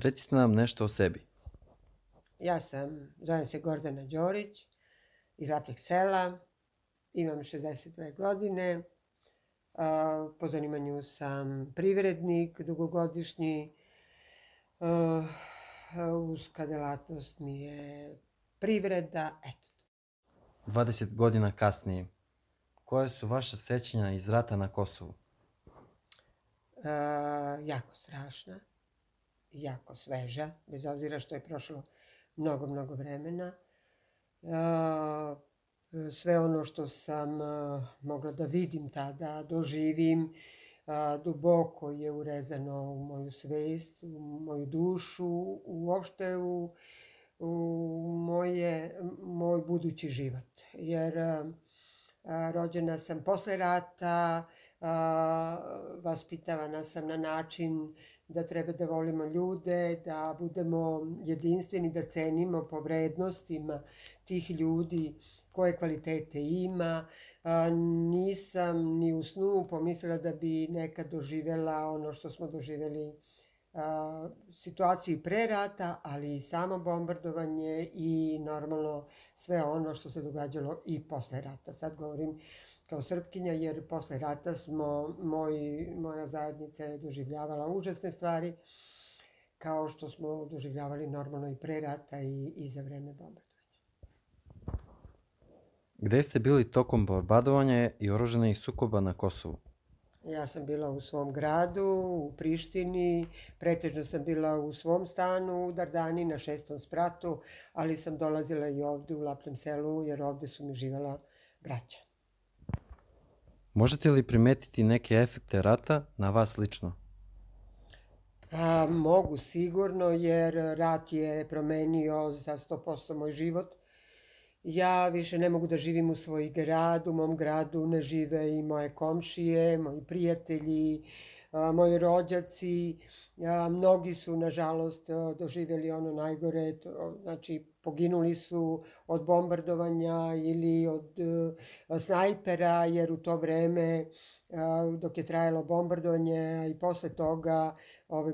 Recite nam nešto o sebi. Zovem se Gordana Đorić, iz Lapljeg sela, imam 62 godine, po zanimanju sam privrednik, dugogodišnji, uska delatnost mi je privreda, eto. 20 godina kasnije, koje su vaša sećanja iz rata na Kosovu? Jako strašna, jako sveža, bez obzira što je prošlo mnogo vremena. Sve ono što sam mogla da vidim tada, doživim, duboko je urezano u moju svest, u moju dušu, uopšte u moj budući život. Jer rođena sam posle rata, vaspitavana sam na način da treba da volimo ljude, da budemo jedinstveni, da cenimo po vrednostima tih ljudi koje kvalitete ima. Nisam ni u snu pomislila da bi nekad doživjela ono što smo doživjeli, situaciju pre rata, ali i samo bombardovanje i normalno sve ono što se događalo i posle rata. Sad govorim kao Srpkinja, jer posle rata moja zajednica je doživljavala užasne stvari, kao što smo doživljavali normalno i pre rata i za vreme bombardovanja. Gde ste bili tokom bombardovanja i oružanih sukoba na Kosovu? Ja sam bila u svom gradu, u Prištini, pretežno sam bila u svom stanu u Dardani na 6. spratu, ali sam dolazila i ovde u Lapljem selu, jer ovde su mi živela braća. Možete li primetiti neke efekte rata na vas lično? Mogu sigurno, jer rat je promenio za 100% moj život. Ja više ne mogu da živim u svoj grad, u mom gradu ne žive i moje komšije, moji prijatelji, moji rođaci. Mnogi su, nažalost, doživjeli ono najgore, znači poginuli su od bombardovanja ili od snajpera, jer u to vreme, dok je trajalo bombardovanje i posle toga,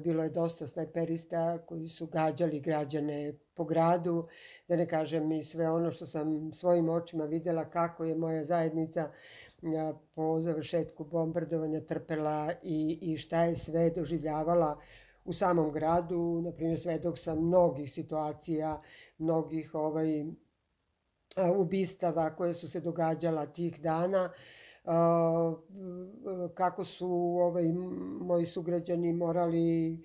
bilo je dosta snajperista koji su gađali građane po gradu, da ne kažem i sve ono što sam svojim očima videla kako je moja zajednica po završetku bombardovanja trpela i šta je sve doživljavala u samom gradu. Naprimjer, svedok sam mnogih situacija, mnogih ubistava koje su se događala tih dana, kako su moji sugrađani morali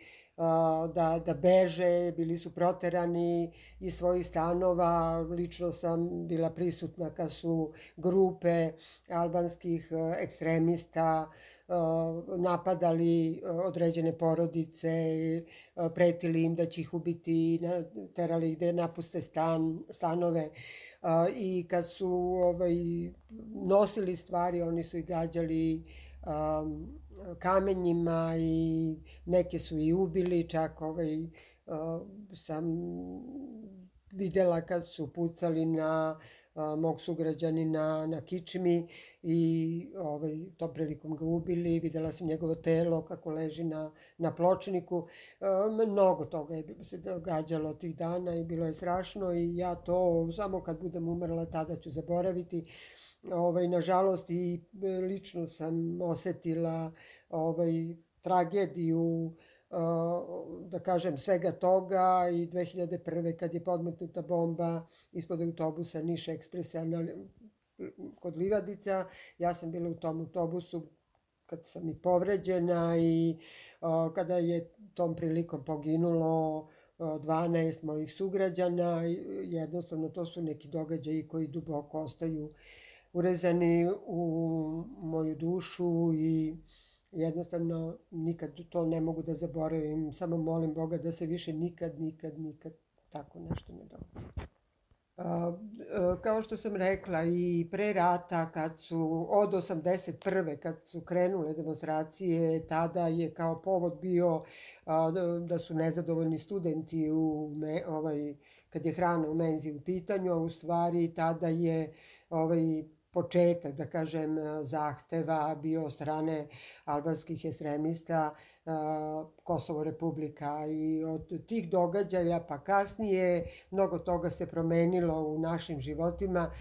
da beže, bili su proterani iz svojih stanova. Lično sam bila prisutna kad su grupe albanskih ekstremista napadali određene porodice, pretili im da će ih ubiti, terali ih da napuste stanove, i kad su nosili stvari, oni su ih gađali kamenjima i neke su i ubili, čak sam videla kad su pucali na mog sugrađanina na kičmi i tom prilikom ga ubili. Videla sam njegovo telo kako leži na pločniku. Mnogo toga je se događalo tih dana i bilo je strašno i ja to samo kad budem umrla tada ću zaboraviti. Nažalost i lično sam osetila tragediju, da kažem, svega toga i 2001. kad je podmetnuta bomba ispod autobusa Niš Ekspresa kod Livadica. Ja sam bila u tom autobusu kad sam i povređena i kada je tom prilikom poginulo 12 mojih sugrađana. Jednostavno to su neki događaji koji duboko ostaju urezani u moju dušu i jednostavno nikad to ne mogu da zaboravim. Samo molim Boga da se više nikad tako nešto ne dogodi. Kao što sam rekla i pre rata, od 81. kad su krenule demonstracije, tada je kao povod bio da su nezadovoljni studenti kad je hrana u menzi u pitanju, a u stvari tada je početak, da kažem, zahteva bio od strane albanskih ekstremista Kosovo Republika i od tih događaja pa kasnije mnogo toga se promenilo u našim životima.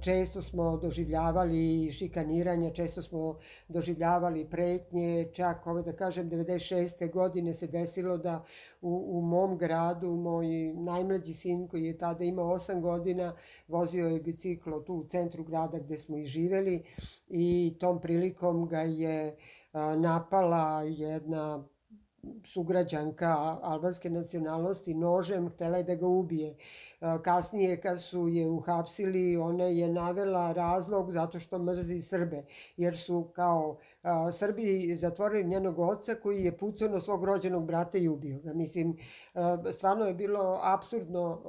Često smo doživljavali šikaniranje, često smo doživljavali pretnje, čak da kažem 96. godine se desilo da u mom gradu moj najmlađi sin koji je tada imao 8 godina vozio je biciklo tu u centru grada gde smo i živeli i tom prilikom ga je napala jedna sugrađanka albanske nacionalnosti nožem, htela je da ga ubije. Kasnije kad su je uhapsili, ona je navela razlog zato što mrzi Srbe, jer su kao Srbi zatvorili njenog oca koji je pucao na svog rođenog brata i ubio ga. Mislim, stvarno je bilo apsurdno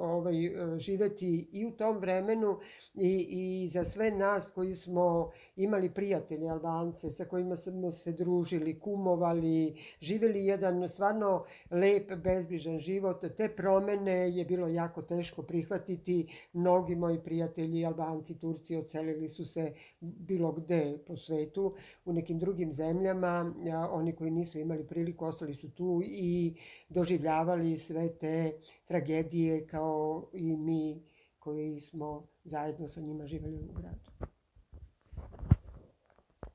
živeti i u tom vremenu i za sve nas koji smo imali prijatelje Albance sa kojima smo se družili, kumovali, živeli jedan stvarno lep, bezbrižan život. Te promene je bilo jako teško prihvatiti. Mnogi moji prijatelji, Albanci, Turci, odselili su se bilo gde po svetu, u nekim drugim zemljama. Oni koji nisu imali priliku ostali su tu i doživljavali sve te tragedije kao i mi koji smo zajedno sa njima živjeli u gradu.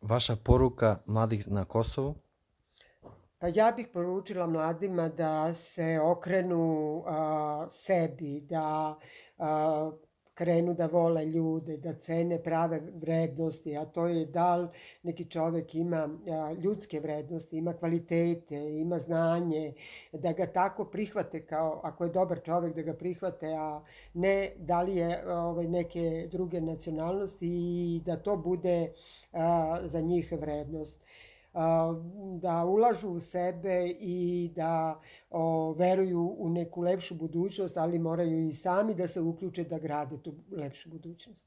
Vaša poruka mladih na Kosovu? Pa ja bih poručila mladima da se okrenu sebi, da krenu da vole ljude, da cene prave vrednosti, a to je da li neki čovek ima ljudske vrednosti, ima kvalitete, ima znanje, da ga tako prihvate kao, ako je dobar čovek, da ga prihvate, a ne da li je neke druge nacionalnosti i da to bude za njih vrednost. Da ulažu u sebe i da veruju u neku lepšu budućnost, ali moraju i sami da se uključe da grade tu lepšu budućnost.